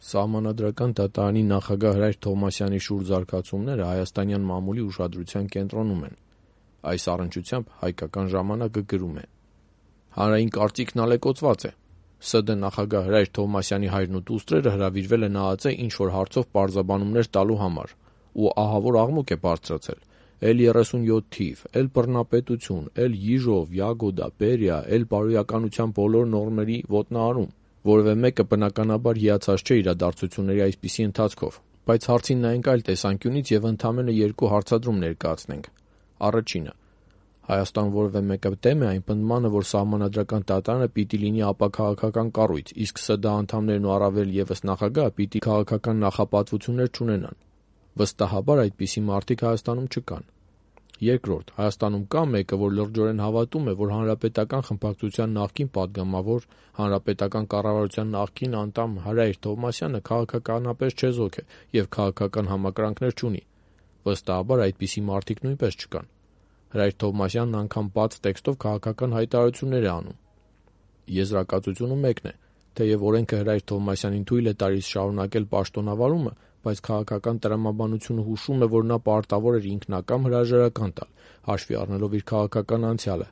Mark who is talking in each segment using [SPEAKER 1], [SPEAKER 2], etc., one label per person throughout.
[SPEAKER 1] Սահմանադրական դատարանի նախագահ Հրայր Թովմասյանի շուրջ զարգացումները հայաստանյան մամուլի ուշադրության կենտրոնում են։ Այս առնչությամբ «Հայկական ժամանակը» գրում է. հանրային կարծիքն ալեկոծված է։ ՍԴ նախագահ Հրայր Թովմասյանի հայրն ու դուստրերը հրավիրվել են ԱԱԾ ինչ-որ հարցով պարզաբանումներ տալու համար, ու ահավոր աղմուկ է բարձրացել։ Էլ 37 թիվ, էլ բռնապետություն, էլ Յիժով, Յագոդա, Բերիա, էլ բարոյականության բոլոր նորմերի ոտնահարում։ Որևէ մեկը բնականաբար հիացած չէ իրադարձությունների այսպիսի ընթացքով, բայց հարցին նայենք այլ տեսանկյունից և ընդամենը երկու հարցադրում ներկայացնենք։ Առաջինը. Հայաստանում որևէ մեկը դեմ է այն պնդմանը, որ Սահմանադրական դատարանը պիտի լինի ապաքաղաքական կառույց, իսկ ՍԴ անդամներն ու առավել ևս նախագահը պիտի քաղաքական նախապատվություններ չունենան։ Վստահաբար այդպիսի մարդիկ Հայաստանում չկան։ Երկրորդ, Հայաստանում կա մեկը, որ լրջորեն հավատում է, որ Հանրապետական խմբակցության նախկին պատգամավոր, հանրապետական կառավարության նախկին անդամ Հրայր Թովմասյանը քաղաքականապես չեզոք է և քաղաքական համակրանքներ չունի։ Վստահաբար այդպիսի մարդիկ նույնպես չկան։ Հրայր Թովմասյանն անգամ բաց տեքստով քաղաքական հայտարարություններ է անում։ Եզրակացությունը մեկն է. թեև օրենքը Հրայր Թովմասյանին թույլ է տալիս շարունակել պաշտոնավարումը, բայց քաղաքական տրամաբանությունը հուշում է, որ նա պարտավոր էր ինքնակամ հրաժարական տալ, հաշվի առնելով իր քաղաքական անցյալը։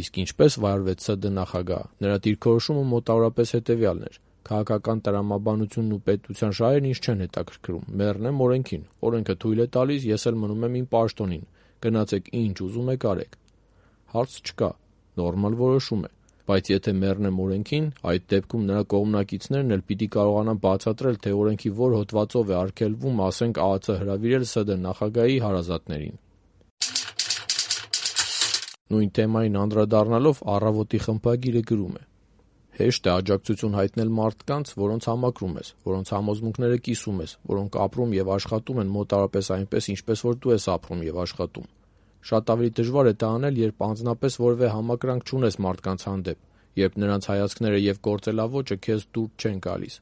[SPEAKER 1] Իսկ ինչպես վարվեց ՍԴ նախագահը, նրա դիրքորոշումը մոտավորապես հետևյալն էր. քաղաքական տրամաբանությունն ու պետության շահերն ինձ չեն հետաքրքրում, մեռնեմ օրենքին, օրենքը թույլ է տալիս, ես էլ մնում եմ իմ պաշտոնին, գնացեք ինչ ուզում եք արեք։ Հարց չկա, նորմալ որոշում է, բայց եթե մեռնեմ օրենքին, այդ դեպքում նրա կողմնակիցներն էլ պիտի կարողանան բացատրել, թե օրենքի որ հոդվածով է արգելվում, ասենք, ԱԱԾ հրավիրել ՍԴ նախագահի հարազատներին։ Նույն թեմային անդրադառնալով «Առավոտ»-ի խմբագիրը գրում է. հեշտ է աջակցություն հայտնել մարդկանց, որոնց համակրում ես, որոնց համոզմունքները կիսում ես, որոնք ապրում և աշխատում են մոտավորապես այնպես, ինչպես որ դու ես ապրում և աշխատում։ Շատ ավելի դժվար է դա անել, երբ անձնապես որևէ համակրանք չունես մարդկանց հանդեպ, երբ նրանց հայացքները և գործելաոճը քեզ դուր չեն գալիս։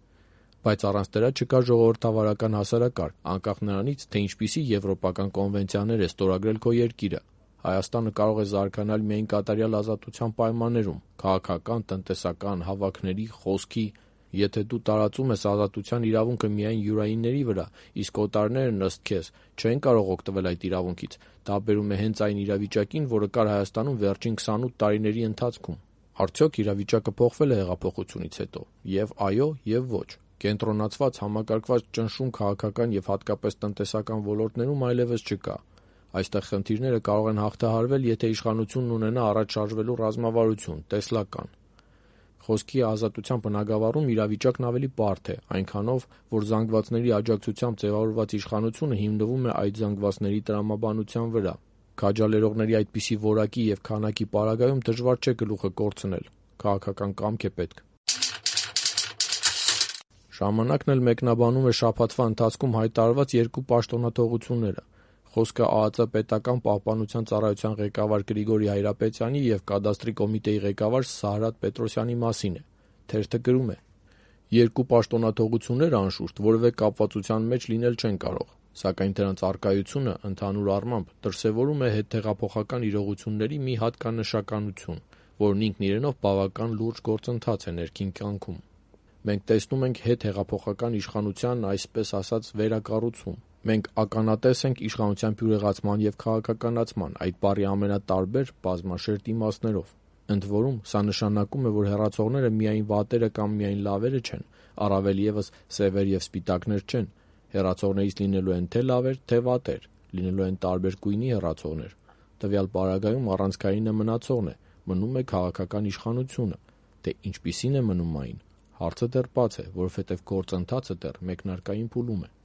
[SPEAKER 1] Բայց առանց դրա չկա ժողովրդավարական հասարակարգ, անկախ նրանից, թե ինչպիսի եվրոպական կոնվենցիաներ է ստորագրել քո երկիրը։ Հայաստանը կարող է զարգանալ միայն կատարյալ ազատության պայմաններում՝ քաղաքական, տնտեսական, հավաքների, խոսքի։ Եթե դու տարածում ես ազատության իրավունքը միայն յուրայինների վրա, իսկ օտարներն ըստ քեզ չեն կարող օգտվել այդ իրավունքից, դա բերում է հենց այն իրավիճակին, որը կար Հայաստանում վերջին 28 տարիների ընթացքում։ Արդյոք իրավիճակը փոխվել է հեղափոխությունից հետո։ Եվ այո, և ոչ։ Կենտրոնացված, համակարգված ճնշում քաղաքական և հատկապես տնտեսական ոլորտներում այլևս չկա։ Այստեղ խնդիրները կարող են հաղթահարվել, եթե իշխանությունն ունենա առաջ շարժվելու ռազմավարություն, տեսլական։ Խոսքի ազատության բնագավառում իրավիճակն ավելի բարդ է, այնքանով, որ զանգվածների աջակցությամբ ձևավորված իշխանությունը հիմնվում է այդ զանգվածների տրամաբանության վրա։ Քաջալերողների այդպիսի որակի և քանակի պարագայում դժվար չէ գլուխը կորցնել։ Քաղաքական կամք է պետք։ Ժամանակն էլ մեկնաբանում է շաբաթվա ընթացքում հայտարարված երկու պաշտոնաթողությունները։ Խոսքը ԱԱԾ պետական պահպանության ծառայության ղեկավար Գրիգորի Հայրապետյանի և կադաստրի կոմիտեի ղեկավար Սարհատ Պետրոսյանի մասին է։ Թերթը գրում է. երկու պաշտոնաթողությունները, անշուշտ, որևէ կապվածության մեջ լինել չեն կարող, սակայն դրանց առկայությունը, ընդհանուր առմամբ, դրսևորում է հետհեղափոխական իրողությունների մի հատկանշականություն, որն ինքն իրենով բավական լուրջ գործընթաց է ներքին կյանքում։ Մենք տեսնում ենք հետհեղափոխական իշխանության, այսպես ասած, վերակառուցում։ Մենք ականատես ենք իշխանության բյուրեղացման և քաղաքականացման, այդ բառի ամենատարբեր, բազմաշերտ իմաստներով։ Ընդ որում, սա նշանակում է, որ հեռացողները միայն վատերը կամ միայն լավերը չեն, առավել ևս սևեր և սպիտակներ չեն։ Հեռացողներից լինելու են թե լավեր, թե վատեր, լինելու են տարբեր գույնի հեռացողներ։ Տվյալ պարագայում առանցքայինը մնացողն է, մնում է քաղաքական իշխանությունը։ Թե ինչպիսին է մնում այն, հարցը դեռ բաց է, որովհետև գործընթացը դեռ մեկնարկային փուլում է։